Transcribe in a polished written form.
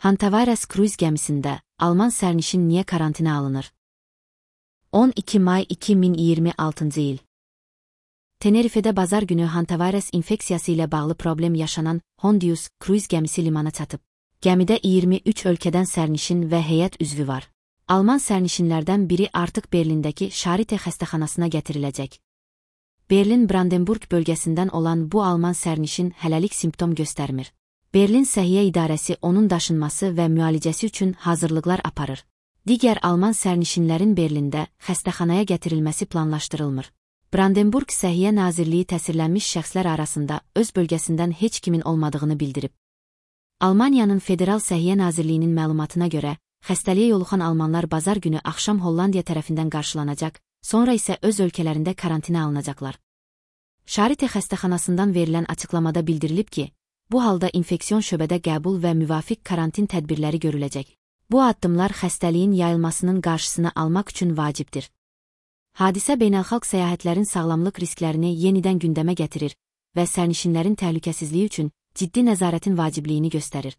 Hantavirus kruiz gəmisində Alman sərnişin niyə karantinə alınır? 12 may 2026-cı il. Tenerifedə bazar günü hantavirus infeksiyası ilə bağlı problem yaşanan Hondius kruiz gəmisi limana çatıb. Gəmidə 23 ölkədən sərnişin və heyət üzvü var. Alman sərnişinlərdən biri artıq Berlindəki Charité xəstəxanasına gətiriləcək. Berlin-Brandenburg bölgəsindən olan bu Alman sərnişin hələlik simptom göstərmir. Berlin Səhiyyə İdarəsi onun daşınması və müalicəsi üçün hazırlıqlar aparır. Digər Alman sərnişinlərin Berlində xəstəxanaya gətirilməsi planlaşdırılmır. Brandenburg Səhiyyə Nazirliyi təsirlənmiş şəxslər arasında öz bölgəsindən heç kimin olmadığını bildirib. Almaniyanın Federal Səhiyyə Nazirliyinin məlumatına görə, xəstəliyə yoluxan almanlar bazar günü axşam Hollandiya tərəfindən qarşılanacaq, sonra isə öz ölkələrində karantinə alınacaqlar. Charité xəstəxanasından verilən açıqlamada bildirilib ki, bu halda infeksion şöbədə qəbul və müvafiq karantin tədbirləri görüləcək. Bu addımlar xəstəliyin yayılmasının qarşısını almaq üçün vacibdir. Hadisə beynəlxalq səyahətlərin sağlamlıq risklərini yenidən gündəmə gətirir və sərnişinlərin təhlükəsizliyi üçün ciddi nəzarətin vacibliyini göstərir.